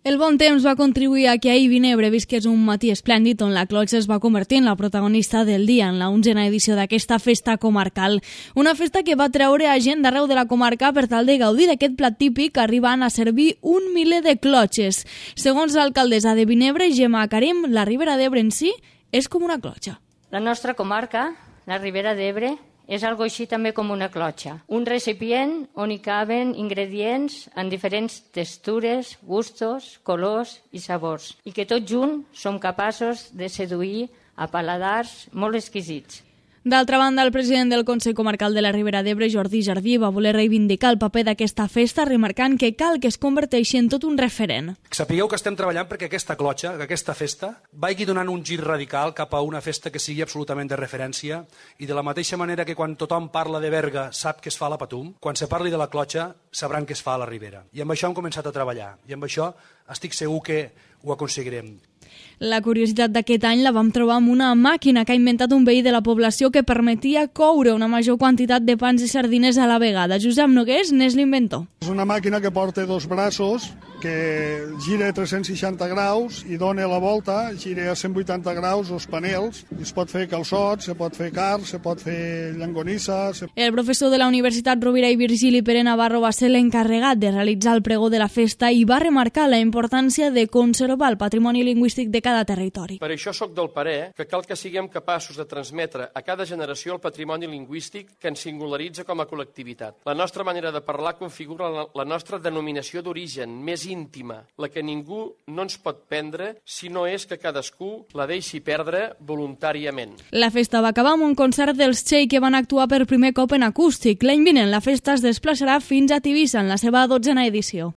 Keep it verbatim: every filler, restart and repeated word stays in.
El bon temps va contribuir a que ahir Vinebre visqués un matí esplèndid on la clotxa es va convertir en la protagonista del dia en la onzena edició d'aquesta festa comarcal. Una festa que va treure a gent d'arreu de la comarca per tal de gaudir d'aquest plat típic arribant a servir un miler de clotxes. Segons l'alcaldessa de Vinebre, Gemma Karim, la Ribera d'Ebre en si és com una clotxa. La nostra comarca, la Ribera d'Ebre, és algo així també com una clotxa. Un recipient on hi caben ingredients en diferents textures, gustos, colors i sabors, i que tots junts som capaços de seduir a paladars molt exquisits. D'altra banda, el president del Consell Comarcal de la Ribera d'Ebre, Jordi Jardí, va voler reivindicar el paper d'aquesta festa, remarcant que cal que es converteixi en tot un referent. Sapigueu que estem treballant perquè aquesta clotxa, que aquesta festa, vagi donant un gir radical cap a una festa que sigui absolutament de referència, i de la mateixa manera que quan tothom parla de Berga sap que es fa a la Patum, quan se parli de la clotxa sabran que es fa a la Ribera. I amb això hem començat a treballar, i amb això estic segur que ho aconseguirem. La curiositat d'aquest any la vam trobar amb una màquina que ha inventat un veí de la població que permetia coure una major quantitat de pans i sardines a la vegada. Josep Nogués n'és l'inventor. És una màquina que porta dos braços, que gira a tres-cents seixanta graus i dona la volta, gira a cent vuitanta graus els panels, i es pot fer calçots, se pot fer carn, se pot fer llonganissa... Se... El professor de la Universitat Rovira i Virgili, Pere Navarro, va ser l'encarregat de realitzar el pregó de la festa i va remarcar la importància de conservar el patrimoni lingüístic de cada territori. Per això sóc del parer que cal que siguem capaços de transmetre a cada generació el patrimoni lingüístic que ens singularitza com a col·lectivitat. La nostra manera de parlar configura la, la nostra denominació d'origen més íntima, la que ningú no ens pot prendre si no és que cadascú la deixi perdre voluntàriament. La festa va acabar amb un concert dels Txell que van actuar per primer cop en acústic. L'any vinent la festa es desplaçarà fins a Tivissa en la seva dotzena edició.